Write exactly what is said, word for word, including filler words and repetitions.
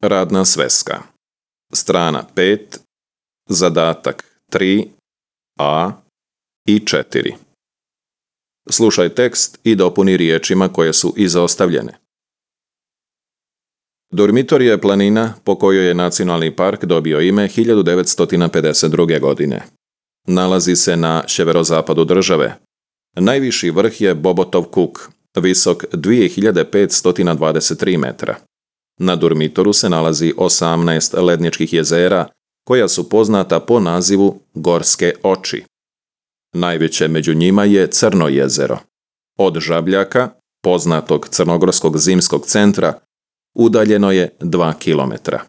Radna sveska. Strana pet, zadatak tri, a i četiri. Slušaj tekst i dopuni riječima koje su izostavljene. Dormitor je planina po kojoj je nacionalni park dobio ime hiljadu devetsto pedeset druge. godine. Nalazi se na sjeverozapadu države. Najviši vrh je Bobotov Kuk, visok dvije hiljade petsto dvadeset tri metra. Na Dormitoru se nalazi osamnaest ledničkih jezera koja su poznata po nazivu Gorske oči. Najveće među njima je Crno jezero. Od Žabljaka, poznatog crnogorskog zimskog centra, udaljeno je dva kilometra.